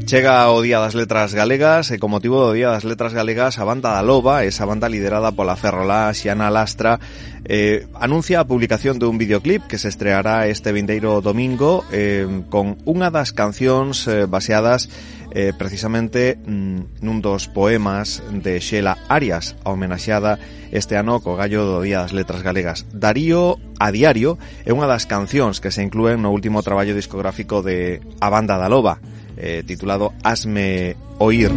Chega o Día das Letras Galegas e con motivo do Día das Letras Galegas a banda da Loba, esa banda liderada pola ferrolá Xiana Lastra, anuncia a publicación dun videoclip que se estreará este vindeiro domingo con unha das cancións baseadas precisamente nun dos poemas de Xela Arias, a homenaxeada este ano co gallo do Día das Letras Galegas. Darío a Diario é unha das cancións que se inclúen no último traballo discográfico de a banda da Loba, titulado Hazme Oír.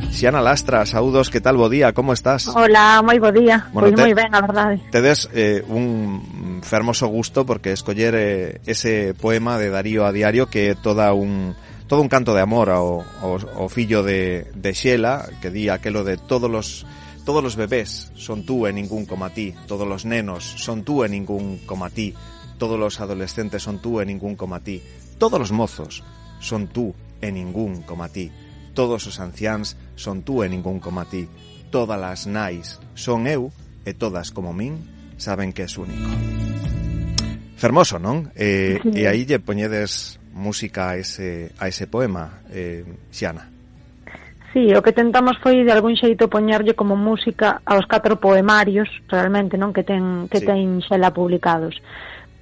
Xiana Lastra, saúdos, que tal, bo día, como estás? Hola, moi bo día, bueno, pois moi ben, a verdade. Tedes un fermoso gusto porque escoller ese poema de Darío a Diario que é todo un canto de amor ao fillo de Xela, que di aquelo de todos los bebés son tú e ningún como a ti, todos los nenos son tú e ningún como a ti, todos los adolescentes son tú e ningún como a ti, todos los mozos son tú e ningún como a ti, todos os anciáns son tú e ningún como a ti, todas as nais son eu e todas como min saben que és único. Fermoso, non? E aí lle poñedes música a ese poema, Xiana. Sí, o que tentamos foi de algún xeito poñerlle como música aos 4 poemarios, realmente, non, que ten Xela publicados.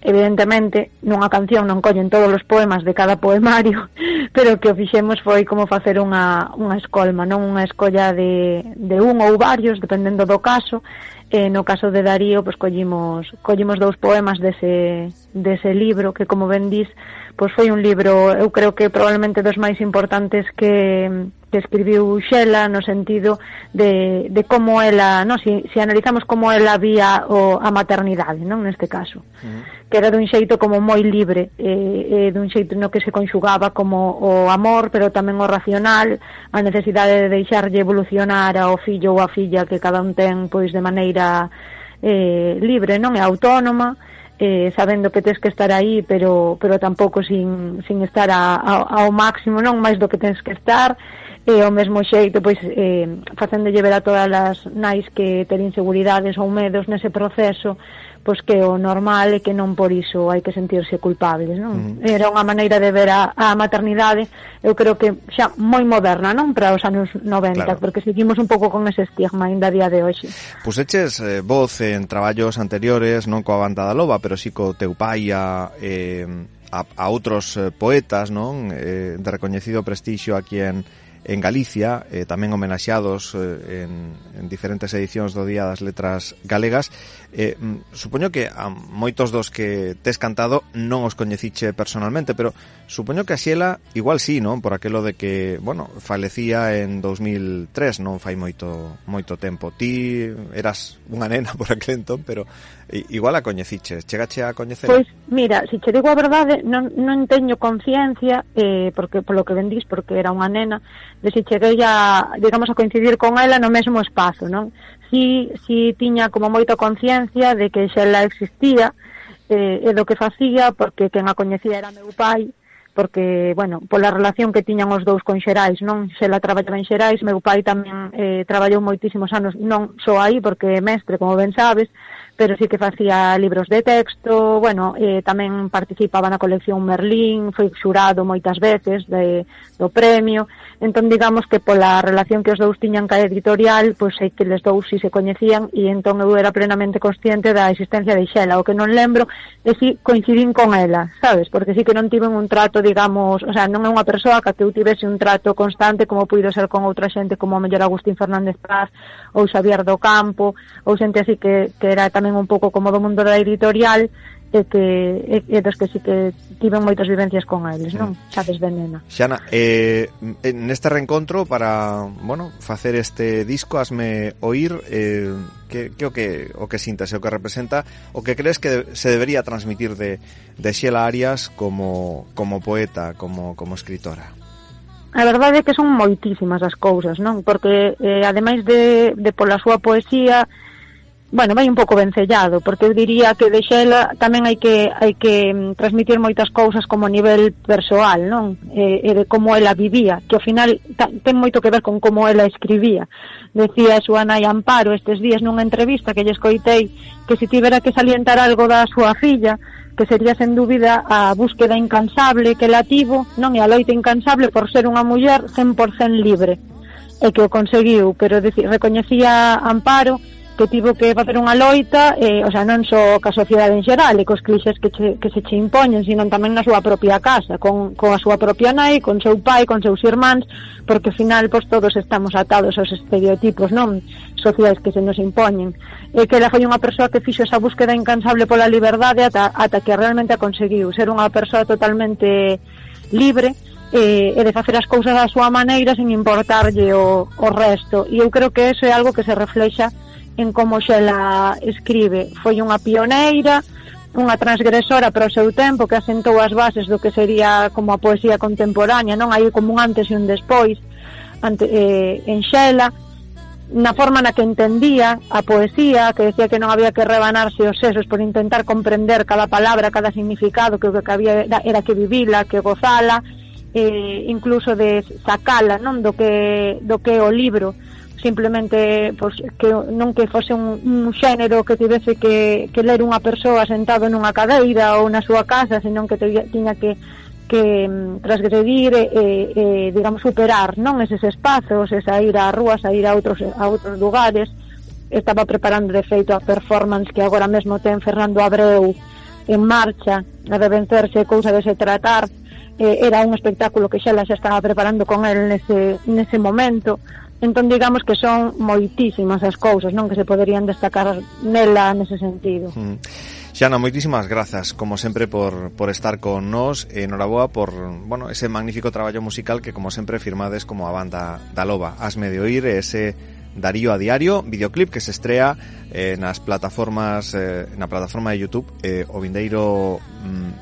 Evidentemente, nunha canción non collen todos os poemas de cada poemario, pero o que o fixemos foi como facer unha escolma, non, unha escolla de un ou varios, dependendo do caso. No caso de Darío, pois collimos 2 poemas dese libro, que como ben dis, pois foi un libro, eu creo que probablemente dos máis importantes que escribiu Xela, no sentido de como ela, non, se analizamos como ela vía a maternidade, non, neste caso, que era dun xeito como moi libre, dun xeito no que se conxugaba como o amor, pero tamén o racional, a necesidade de deixarlle evolucionar ao fillo ou a filla que cada un ten, pois, de maneira libre, non, e autónoma, sabendo que tens que estar aí, pero tampouco sin estar ao máximo, non, máis do que tens que estar, e ao mesmo xeito, pois, facéndolle ver a todas as nais que ter inseguridades ou medos nese proceso, pois que o normal é que non por iso hai que sentirse culpables, non? Era unha maneira de ver a maternidade, eu creo que xa moi moderna, non, para os anos 90, claro, porque seguimos un pouco con ese estigma ainda a día de hoxe. Pois eches voz en traballos anteriores, non coa banda da Loba, pero si co teu pai a outros poetas, non, de recoñecido prestixio aquí en Galicia, tamén homenaxeados en diferentes edicións do Día das Letras Galegas. Supoño que a moitos dos que tes cantado non os coñeciche personalmente, pero supoño que a Xela igual sí, non? Por aquelo de que, bueno, falecía en 2003, non fai moito tempo. Ti eras unha nena por aquel entón, pero igual a coñeciche. Chegache a coñecer? Pois, mira, se che digo a verdade, non teño conciencia, porque polo que vendís, porque era unha nena, de se cheguei a, digamos, a coincidir con ela no mesmo espazo, non? Si tiña como moita conciencia de que Xela existía, e do que facía, porque quen a coñecía era meu pai, porque, bueno, pola relación que tiñan os dous con Xerais, non? Xela traballaba en Xerais, meu pai tamén traballou moitísimos anos, non só aí, porque é mestre, como ben sabes, pero sí que facía libros de texto, bueno, tamén participaba na colección Merlín, foi xurado moitas veces do premio. Entón, digamos que pola relación que os dous tiñan ca editorial, pois sei que les dous si se coñecían, e entón eu era plenamente consciente da existencia de Xela. O que non lembro é si coincidín con ela, sabes? Porque sí que non tiven un trato, digamos, o sea, non é unha persoa que eu tivese un trato constante como puido ser con outra xente como o mellor Agustín Fernández Paz ou Xavier do Campo, ou xente así que era tamén un pouco como do mundo da editorial, e dos que sí que tiven moitas vivencias con eles, non? Sabes, de nena. Xana, neste reencontro para, bueno, facer este disco, Hazme Oír, que o que sintas, o que representa, o que crees que se debería transmitir de Xela Arias como poeta, como escritora? A verdade é que son moitísimas as cousas, non? Porque ademais de pola súa poesía, bueno, vai un pouco vencellado, porque eu diría que de Xela tamén hai que transmitir moitas cousas como a nivel persoal, non? E de como ela vivía, que ao final ten moito que ver con como ela escribía. Decía a súa nai Amparo estes días nunha entrevista que lle escoitei que se tivera que salientar algo da súa filla, que sería sen dúbida a búsqueda incansable que ela tivo, non, e a loita incansable por ser unha muller 100% libre, e que o conseguiu, pero recoñecía Amparo que tivo que facer unha loita, o sea, non só ca sociedade en xeral e cos clixes que se che impoñen, sino tamén na súa propia casa, con a súa propia nai, con seu pai, con seus irmáns, porque ao final pois todos estamos atados aos estereotipos, non, sociais que se nos impoñen, e que ela foi unha persoa que fixo esa búsqueda incansable pola liberdade ata que realmente a conseguiu, ser unha persoa totalmente libre, e de facer as cousas da súa maneira sen importarlle o resto, e eu creo que eso é algo que se reflexa en como Xela escribe. Foi unha pioneira, unha transgresora para o seu tempo, que asentou as bases do que sería como a poesía contemporánea, non? Hai como un antes e un despois en Xela, na forma na que entendía a poesía, que decía que non había que rebanarse os sesos por intentar comprender cada palabra, cada significado, que o que había era que vivila, que gozala, incluso de sacala, non, do que é o libro, simplemente pois, que non que fose un xénero que tivese que ler unha persoa sentado nunha cadeira ou na súa casa, senón que tiña que transgredir e digamos superar, non, eses espazos, e sair á rúa, sair a outros lugares. Estaba preparando de feito a performance que agora mesmo ten Fernando Abreu en marcha, a de vencerse, cousa de se tratar. Era un espectáculo que xa estaba preparando con el nese momento. Entón, digamos que son moitísimas as cousas, non, que se poderían destacar nela nese sentido. Xana, moitísimas grazas, como sempre, por estar con nós, e enhoraboa por, bueno, ese magnífico traballo musical que, como sempre, firmades como a banda da Loba. Hasme de oír ese Darío a Diario, videoclip que se estrea nas plataformas, na plataforma de YouTube o vindeiro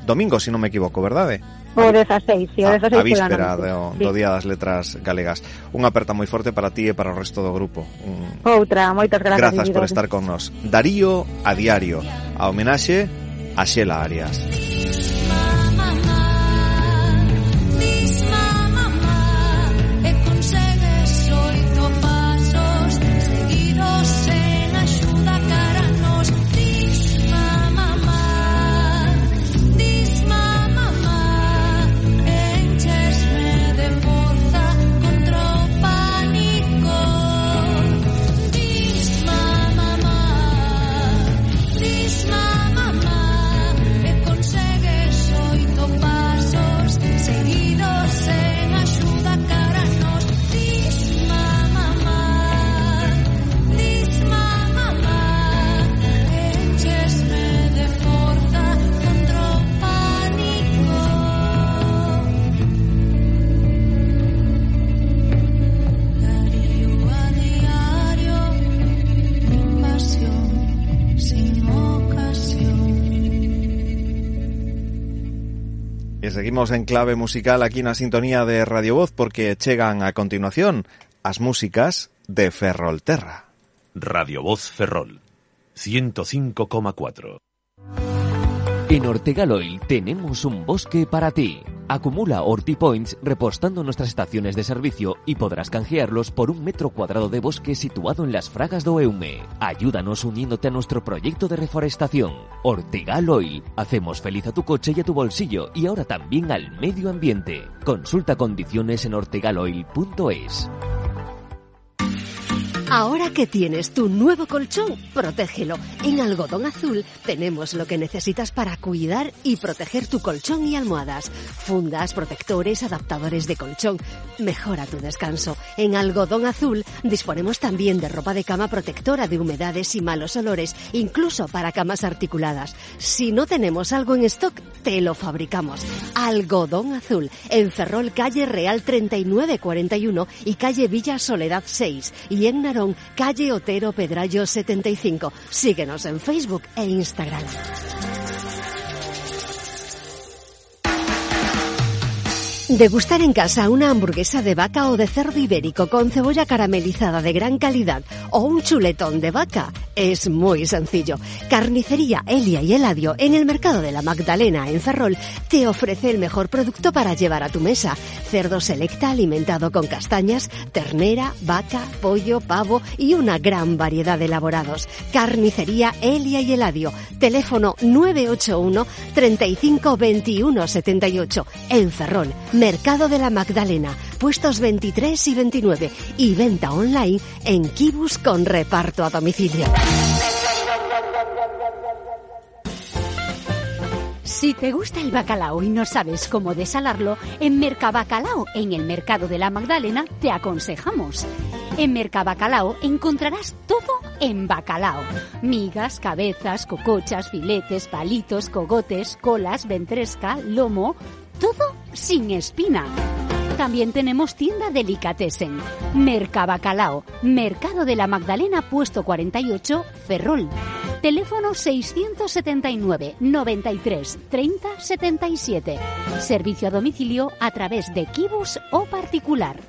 domingo, se non me equivoco, verdade? O 16, sí, o 16 a víspera do Día das Letras Galegas. Unha aperta moi forte para ti e para o resto do grupo. Outra, moitas grazas. Grazas por estar con nós. Darío a Diario, a homenaxe a Xela Arias. Seguimos en clave musical aquí na sintonía de Radio Voz, porque chegan a continuación as músicas de Ferrolterra. Radio Voz Ferrol 105,4. En Ortegal Oil tenemos un bosque para ti. Acumula OrtiPoints repostando nuestras estaciones de servicio y podrás canjearlos por 1 metro cuadrado de bosque situado en las Fragas do Eume. Ayúdanos uniéndote a nuestro proyecto de reforestación. Ortegal Oil. Hacemos feliz a tu coche y a tu bolsillo, y ahora también al medio ambiente. Consulta condiciones en ortegaloil.es. Ahora que tienes tu nuevo colchón, protégelo. En Algodón Azul tenemos lo que necesitas para cuidar y proteger tu colchón y almohadas. Fundas, protectores, adaptadores de colchón. Mejora tu descanso. En Algodón Azul disponemos también de ropa de cama protectora de humedades y malos olores, incluso para camas articuladas. Si no tenemos algo en stock, te lo fabricamos. Algodón Azul, en Ferrol, calle Real 3941 y calle Villa Soledad 6. Y en Narón, calle Otero Pedrallo 75. Síguenos en Facebook e Instagram. Degustar en casa una hamburguesa de vaca o de cerdo ibérico con cebolla caramelizada de gran calidad o un chuletón de vaca es muy sencillo. Carnicería Elia y Eladio en el Mercado de la Magdalena en Ferrol te ofrece el mejor producto para llevar a tu mesa. Cerdo selecta alimentado con castañas, ternera, vaca, pollo, pavo y una gran variedad de elaborados. Carnicería Elia y Eladio. Teléfono 981 35 21 78 en Ferrol. Mercado de la Magdalena, puestos 23 y 29 y venta online en Kibus con reparto a domicilio. Si te gusta el bacalao y no sabes cómo desalarlo, en Mercabacalao, en el Mercado de la Magdalena, te aconsejamos. En Mercabacalao encontrarás todo en bacalao. Migas, cabezas, cocochas, filetes, palitos, cogotes, colas, ventresca, lomo... todo sin espina. También tenemos tienda Delicatessen. Mercabacalao, Mercado de la Magdalena, puesto 48, Ferrol. Teléfono 679 93 30 77. Servicio a domicilio a través de Kibus o particular.